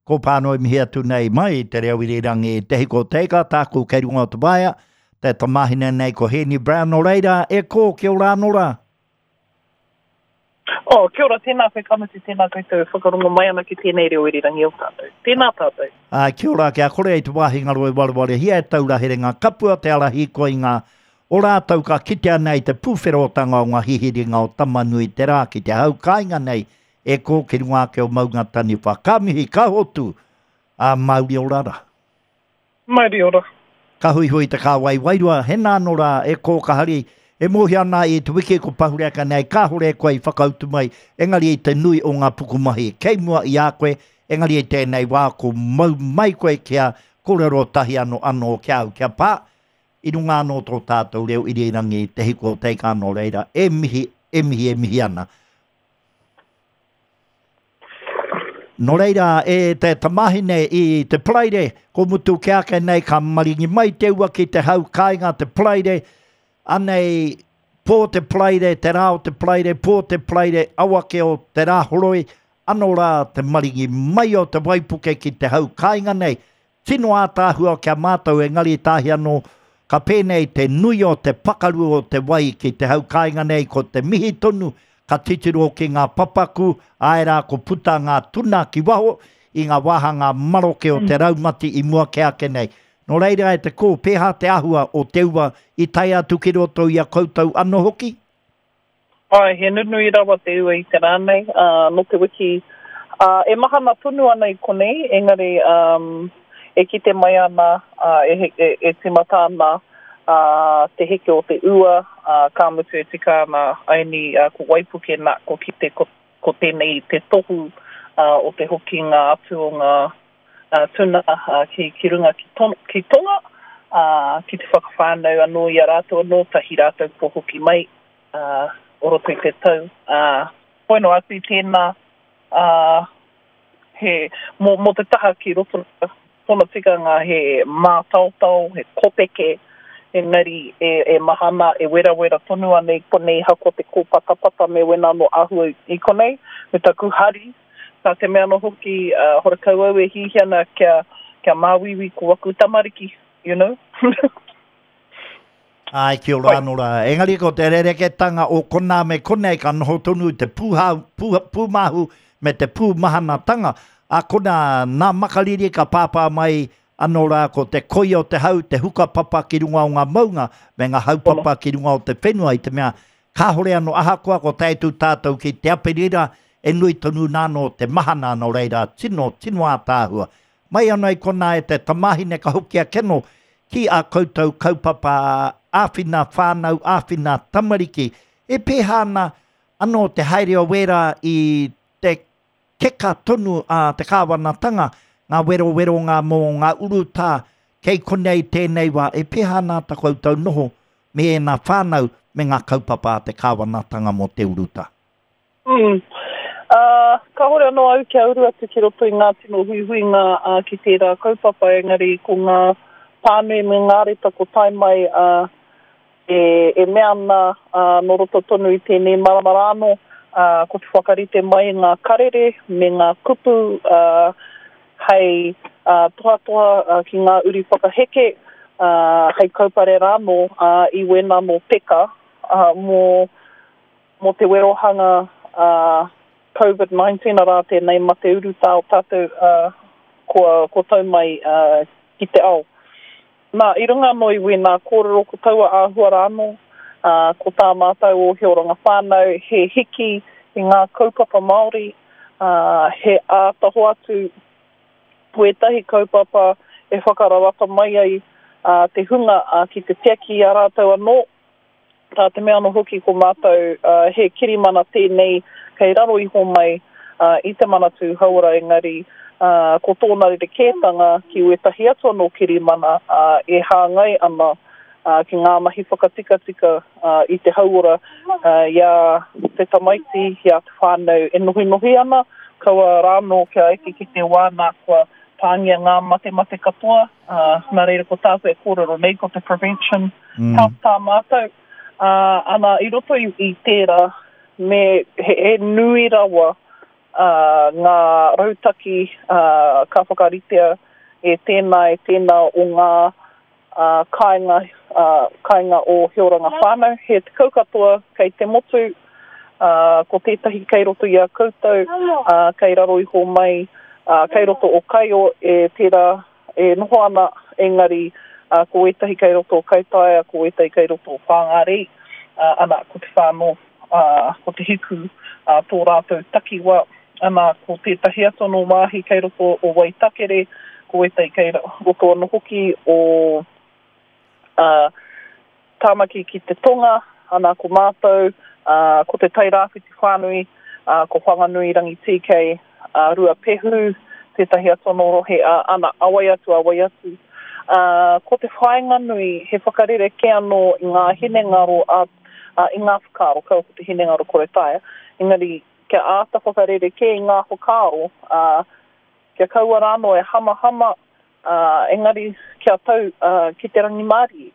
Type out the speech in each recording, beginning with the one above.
Ko Pānoi mihi atu nei mai i te reo irirangi Te Hiko Teika, tāku kei runga o te waea, te tamāhine nei ko Hēni Brown, nō reira, e kō, kia ora anō rā. Oh, kia ora, tēnā koe ka mutu, tēnā koutou e whakarongo mai ana ki tēnei reo irirangi o tātou. Tēnā tātou. Ā, kia ora, kia kore i te wāhi ngaro e warewarehia e taura herenga kapua te ara hīkoi i ngā o rātou ka kitea nei te pūwherotanga o ngā hihiringa o Tamanui-te-rā ki te hau kāinga nei E kō ki runga ake o Maunga Taniwha. Ka mihi, ka hotu, ā, mauri ora rā. Mauri ora. Ka huihui te kāwai wairua, hena anō rā, e kō ka hari, e mōhio ana i te wiki ko pahure ake nei, kāhore e koe i whakautu mai, engari i te nui o ngā pukumahi kei mua i a koe, engari i tēnei wā ko mau mai koe kia kōrero tahi anō anō ki a au, kia pā, i runga anō tō tātou reo irirangi te hiko o teika nō reira, e mihi, e mihi, e mihi ana. Nō reira, e te tamahine i te Paraire, ko mutu ke ake nei ka maringi mai te ua ki te hau kāinga te Paraire, anei pō te Paraire, te rā o te Paraire, pō te Paraire, awake o te Rāhoroi, anō rā te maringi mai o te waipuke ki te hau kāinga nei, Tino ātaahua ki a mātou engari tāhi anō ka pēnei te nui o te pakaru o te wai ki te hau kāinga nei ko te mihi tonu ka titiro ki ngā papaku, āe rā ko puta ngā tuna ki waho i ngā wāhanga maroke o te raumati i mua kē ake nei. Nō reira e te kō, pēhā te āhua o te ua i tae atu ki roto i a koutou anō hoki? Āe, he nunui rawa te ua i te rā nei, ā, nō te wiki, ā, e mahana tonu ana i konei, engari, ā, e kite mai ana, ā, e, e, e tīmata ana, ā, te heke o te ua, ā, ka mutu e tika ana, aini, ā, ko waipuke nā, ko kite ko, ko tēnei te tohu, ā, o te hokinga atu o ngā, ā, tuna, ā, ki, ki runga ki, to, ki Tonga, ā, ki te whakawhānau anō i a rātou anō, tahi rātou kua hoki mai. ā, o roto i te tau, ā, hoi noa atu i tēnā, ā, he, mō, mō te taha ki roto, tōna tikanga he mātaotao, he kopeke, engari e, e mahana, e werawera tonu ana i konei ahakoa te kōpatapata me wena anō āhua i konei, me taku hari, nā te mea anō hoki, ā, horakau au e hiahia ana kia, kia māuiui ko aku tamariki, you know. Āe, kia ora anō rā. Engari ko te rerekētanga o konā me konei ka noho tonu te pūhā, pū, pūmāhu me te pūmahanatanga. Ā konā, nā Makariri ka pāpā mai anō rā ko te koi o te hau, te hukapapa ki runga o ngā maunga me ngā haupapa ki runga o te whenua i te mea kāhore anō ahakoa ko tae atu tātou ki te Aperira e nui tonu nā anō te mahana nō reira tino, tino ātaahua. Mai ana i konā e te tamāhine ka hoki ake anō ki ā koutou kaupapa āwhina whānau, āwhina tamariki. E pēhā ana anō te haere o wērā i te keka tonu a te kāwanatanga, ngā weroweronga mō ngā urutā kei konei tēnei wā, e pēhā ana tā koutou noho me ēnā whānau me ngā kaupapa a te kāwanatanga mō te urutā? Mm. Ā, kāhore anō au kia uru atu ki roto i ngā tino huihuinga ā, ki tērā kaupapa, engari ko ngā pānui me ngā reta ko tae mai ā, e, e mea ana ā, nō roto tonu i tēnei marama rā anō, ā, ko te whakarite mai i ngā karere me ngā kupu ā, hei ā, tohatoha ā, ki ngā uri whakaheke, ā, hei kaupare rānō ā, i wēnā anō peka ā, mō Mō te werohanga a Covid 19, arā tēnei mate urutā o tātou kua, kua tau mai ki te ao. Nā, i runga anō i wēnā kōrero ko taua āhua rā anō, ko tā mātou o He Oranga Whānau he hiki i ngā kaupapa Māori, he āta hoatu wētahi kaupapa e whakararata mai ai te hunga ki te tiaki i a rātou anō. Tā te mea anō hoki ko mātou he kirimana tēnei kei raro iho mai i te Manatū Hauora engari ko tōna rerekētanga ki wētahi atu anō kirimana e hāngai ana ki ngā mahi whakatikatika i te hauora i a te tamaiti, i a te whānau e nohinohi ana, kaua rānō kia eke ki te wā nā kua pāngia ngā matemate katoa, nā reira ko tāku e kōrero nei ko te prevention mm. health tā mātou. Ā, ana, i roto i, i tērā, me, he, he nui rawa Ngā rautaki ka whakaritea e tēnā, e tēnā o ngā kāinga, kāinga o He Oranga Whānau. He 10 katoa kei te motu, ko tētahi kei roto i a koutou, kei raro iho mai, kei roto o Kaio e tērā e noho ana, engari ko ētahi kei roto o Kaitaia, ko ētahi kei roto o Whāngārei, ana, ko te whānau, ko Te Hiku tō rātou takiwā, ana, ko tētahi atu anō wāhi kei roto o Waitakere, ko ētahi kei roto anō hoki o Tāmaki ki te tonga, ana, ko mātou, ko Te Tai Rāwhiti whānui, ko Whanganui Rangitīkei, Ruapehu, tētahi atu anō rohe, ana, a wai atu, a wai atu. Ko te whāinga nui, he whakarerekē anō i ngā hinengaro, i ngā whakaaro, kaua ko te hinengaro kore taea, engari kia āta whakarerekē i ngā whakaaro, kia kaua rānō e hamahama, engari kia tau ki te rangimārie.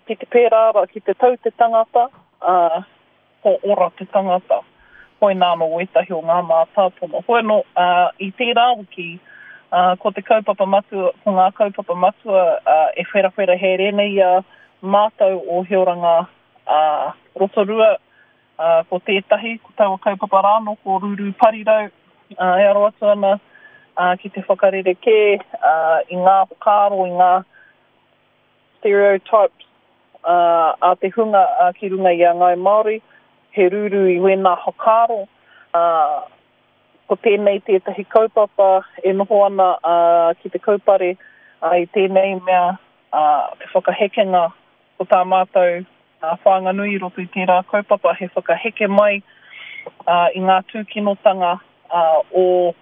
Ki te pērā rā, ki te tau te tangata, ko ora te tangata. Koinā anō wētahi o ngā mātāpono. Hoi anō, i tērā wiki, ko te kaupapa matua, ko ngā kaupapa matua e wherawhera haere nei i a mātou o He Oranga Rotorua, ko tētahi, ko taua kaupapa rā anō, ko Rūrū Parirau, e aro atu ana ki te whakarerekē i ngā whakaaro, i ngā stereotypes a te hunga ki runga i a Ngāi Māori, he rūrū i wēnā whakaaro. Ko tēnei tētahi kaupapa e noho ana ki te kaupare i tēnei mea te whakahekenga ko tā mātou whāinga nui i roto i tērā kaupapa he whakaheke mai i ngā tūkinotanga o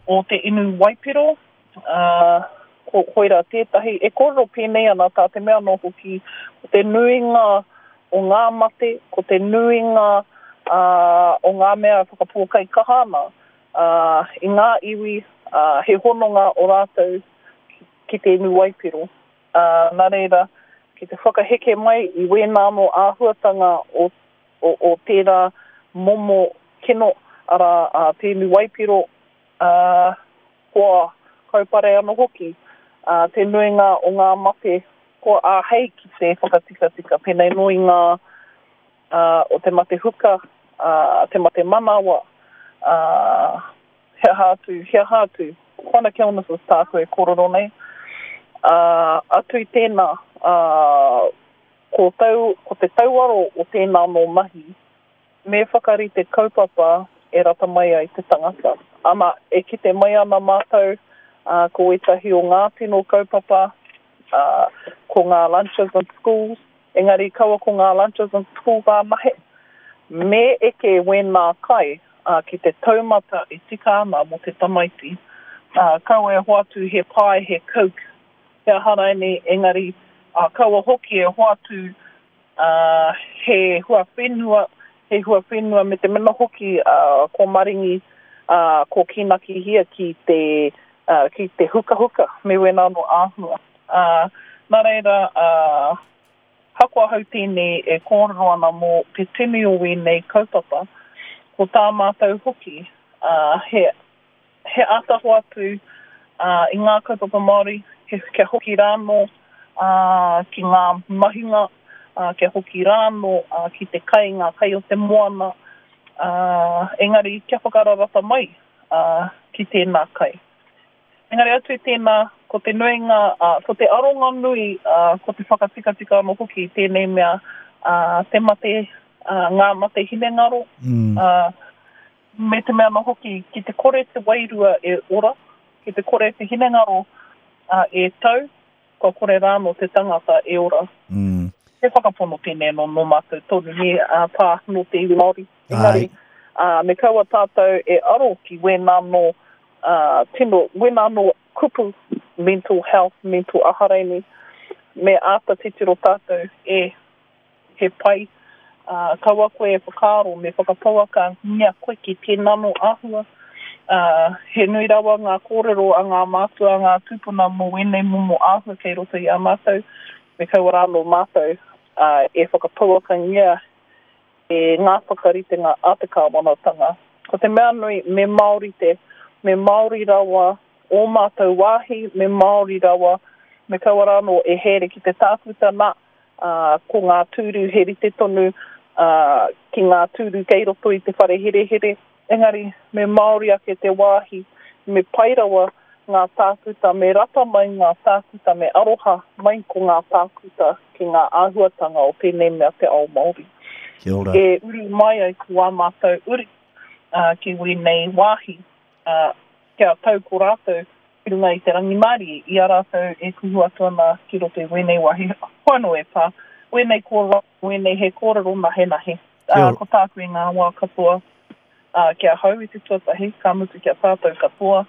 o te inu waipiro, ā, ko koirā tētahi. E kōrero pēnei ana tā te mea anō hoki, ko te nuinga o ngā mate, ko te nuinga, ā, o ngā mea e whakapōkaikaha ana, ā, i ngā iwi, ā, he hononga o rātou ki te inu waipiro. Ā, nā reira, ki te whakaheke mai i wēnā anō āhuatanga o, o, o tērā momo kino, arā, a te inu waipiro, ā, kua kaupare anō hoki, ā, te nuinga o ngā mate kua āhei ki te whakatikatika, pēnei nō i ngā, ā, o te mate huka, ā, te mate manawa, ā, he aha atu, he aha atu. Chronic illnesses tāku e kōrero nei. Ā, atu i tēnā, ā, ko tau, ko te tauaro o tēnā anō mahi, me whakarite kaupapa e rata mai ai te tangata. Ana, e kite mai ana mātou, ā, ko ētahi o ngā tino kaupapa, ā, ko ngā lunches in schools, engari kaua ko ngā lunches in schools ānahe. Me eke wēnā kai, ā, ki te taumata e tika ana mō te tamaiti. Ā, kaua e hoatu he pie, he coke, he aha rainei, engari, ā, kaua hoki e hoatu, ā, he huawhenua, he huawhenua me te mena hoki, ā, ko maringi, ā, ko kīnakihia ki te, ā, ki te hukahuka me wēnā anō āhua. Ā, nā reira, ā, Hako ahau tēnei e kōrero ana mō te tini o wēnei kaupapa, ko tā mātou hoki, ā, he, he āta hoatu, ā, i ngā kaupapa Māori, he, kia hoki rānō, ā, ki ngā mahinga, ā, kia hoki rānō, ā, ki te kai, ngā kai o te moana, ā, engari kia whakararata mai, ā, ki tēnā kai. Engari atu i tēnā, ko te nuinga, ā, ko te aronga nui, ā, ko te whakatikatika anō hoki i tēnei mea, ā, te mate, ā, ngā mate hinengaro, ā, me te mea anō hoki, ki te kore te wairua e ora, ki te kore te hinengaro, ā, e tau, kua kore rānō te tangata e ora. He whakapono tēnei anō nō mātou tonu, nē, ā, pā, nō te iwi Māori. Engari, ā, me kaua tātou e aro ki wēnā anō, ā, tino, wēnā anō kupu, mental health, mental aha raini, me āta titiro tātou, e, he pai, ā, kaua koe e whakaaro me whakapauakangia koe ki tēnā anō āhua. Ā, he nui rawa ngā kōrero a ngā mātua, a ngā tūpuna mō wēnei momo āhua kei roto i a mātou, me kaua rānō mātou, ā, e whakapauakangia e ngā whakaritenga a te kāwanatanga. Ko te mea nui, me Māori te, me Māori rawa ō mātou wāhi, me Māori rawa, me kaua rānō e haere ki te tākuta, nā, ā, ko ngā tūru he rite tonu, ā, ki ngā tūru kei roto i te whare herehere, engari me Māori ake te wāhi, me pai rawa ngā tākuta, me rata mai ngā tākuta, me aroha mai ko ngā tākuta ki ngā āhuatanga o tēnei mea te ao Māori. Kia ora. E uru mai ai ko ā mātou uri ki wēnei wāhi, kia tau ko rātou ki runga i te rangimārie i a rātou e kuhu atu ana ki roto i wēnei wāhi. Hoi anō e pā, wēnei kōrero, wēnei he kōrero nahenahe. Ko tāku i ngā wā katoa, ki ahau i te tuatahi, ka mutu ki a tātou katoa,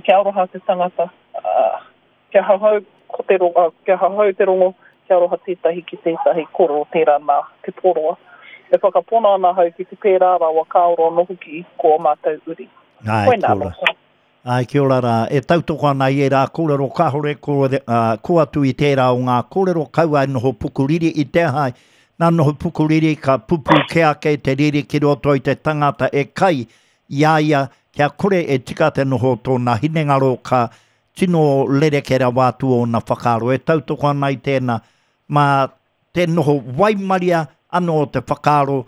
kia aroha te tangata, kia hahau ko te rongo, kia hahau te rongo, kia aroha tētahi ki tētahi, kōrero tērā nā Te Poroa. E whakapono ana ahau ki te pērā rawa ka ora anō hoki ko ō mātou uri. Koinā anō. Āe, kia ora rā. E tautoko ana i ērā kōrero kāore ko, ā, kō atu i tērā o ngā kōrero kaua e noho pukuriri i te aha, nā noho pukuriri ka pupū kē ake te riri ki roto i te tangata e kai i a ia kia kore e tika te noho o tōna hinengaro ka tino rerekē rawa atu ōna whakaaro. E tautoko ana i tēnā mā te noho waimaria anō o te whakaaro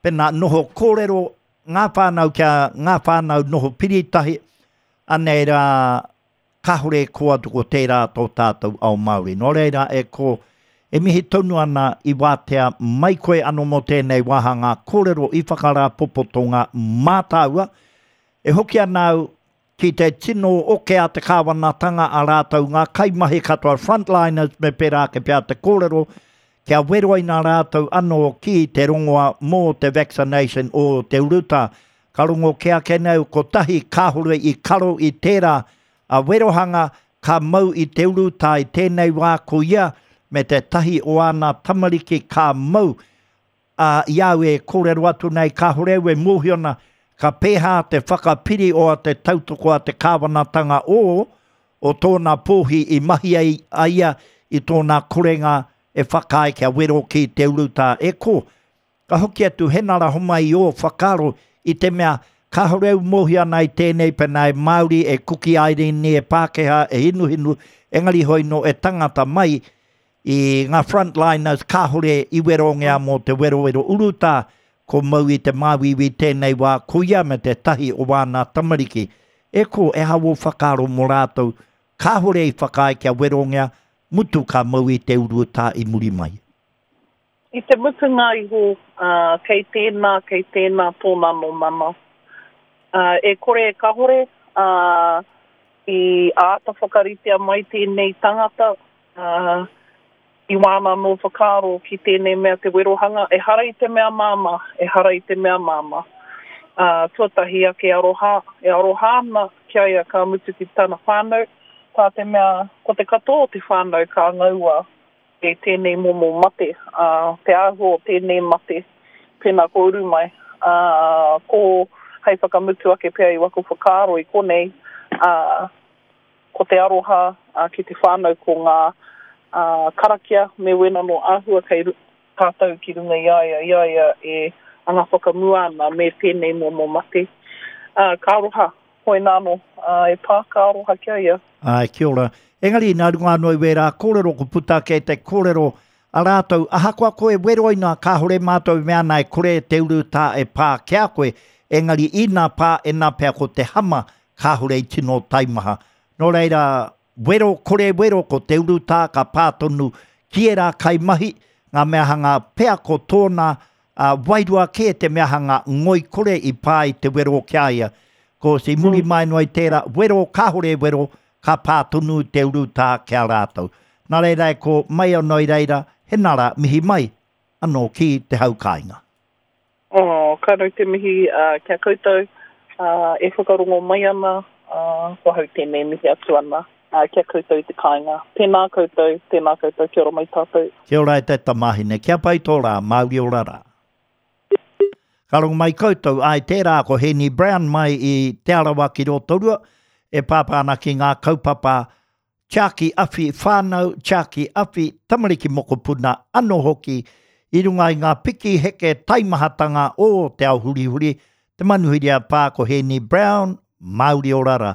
Pena noho kōrero ngā whānau kia ngā whānau noho piri tahi, anei rā kāore e kō atu ko tērā tō tātou ao Māori. Nō reira e kō, e mihi tonu ana i wātea mai koe anō mō tēnei wāhanga kōrero i whakarāpopotonga mā tāua. E hoki ana au Ki te tino oke a te kāwanatanga a rātou ngā kaimahi katoa frontliners me pērā ake pea te kōrero, kia weroina rātou anō ki te rongoa mō te vaccination o te urutā. Ka rongo kē ake nei au kotahi kāore i karo i tērā a werohanga ka mau i te urutā i tēnei wā ko ia me tētahi o āna tamariki ka mau Ā, i a au e kōrero atu nei, kāore au e mōhio ana ka pēhā te whakapiri o a te tautoko a te kāwanatanga o, o tōna pōhi i mahi ai a ia i tōna korenga e whakaae kia wero ki te urutā. E kō, ka hoki atu Henara homai i ō whakaaro i te mea kāore au mōhio ana i tēnei pēnā e Māori, e Kuki Airini, e Pākehā, e Hinuhinu, engari hoi nō e tangata mai I ngā frontliners kāore i werongia mō te werowero urutā, ko mau i te māuiui tēnei wā, ko ia me tētahi o wāna tamariki. E kō, e aha wō whakaaro mō rātou kāore i whakaae kia werongia, mutu ka mau i te urutā i muri mai? I te mutunga iho, ā, kei tēnā, kei tēnā tōna anō mana. Ā, e kore e kahore, ā, i āta whakaritea mai tēnei tangata, ā, i wāna anō whakaaro ki tēnei mea te werohanga, ehara i te mea māmā, ehara i te mea māmā. Ā, tuatahi ake aroha, e aroha ana ki a ia ka mutu ki tana whānau, tā te mea ko te katoa o te whānau ka ngaua e tēnei momo mate, ā, te āhua o tēnei mate, pēnā ko uru mai, ā, ko hei whakamutu ake pea i waku whakaaro i konei, ā, Ko te aroha ki te whānau ko ngā karakia me wena nō āhua kei tātou ki runga i a ia, i a ia e anga whakamua ana me tēnei momo mate. Ka aroha, hoina anō, e pā, ka aroha ki a ia. Āe, kia ora. Engari, nā runga anō i wērā kōrero ko puta ake te kōrero a rātou, ahakoa koe weroina kāore mātou e mea ana e kore te urutā e pā ki a koe, engari ina pā, ena pea ko te hama kāore i tino taimaha. Nō reira, wero, kore wero, ko te urutā ka pā tonu ki ērā kaimahi, ngā mea hanga pea ko tōna wairua kē te mea hanga ngoikore i pā i te wero ki a ia. Ko i muri mai noa i tērā, wero, kāore e wero, ka pā tonu te urutā ki a rātou. Nā reira e ko mai anō i reira, he nara mihi mai anō ki te hau kāinga. Oh, ka rau te mihi ki a koutou e whakarongo mai ana, ko ahau tēnei mihi atu ana ki a koutou i te kāinga. Tēnā koutou, tēnā koutou, kia ora mai tātou. Kia ora e te tamāhine, kia pai tō rā, Māori ora rā. Ka rongo mai koutou, āe tērā ko Hēni Brown mai i Te Arawa ki Rotorua, e pāpā ana ki ngā kaupapa Tiaki awhi whānau, tiaki awhi tamariki mokopuna anō hoki i runga i ngā piki heke taimahatanga o te ao hurihuri. Te manuhiri a pā ko Hēni Brown, Māuri ora rā.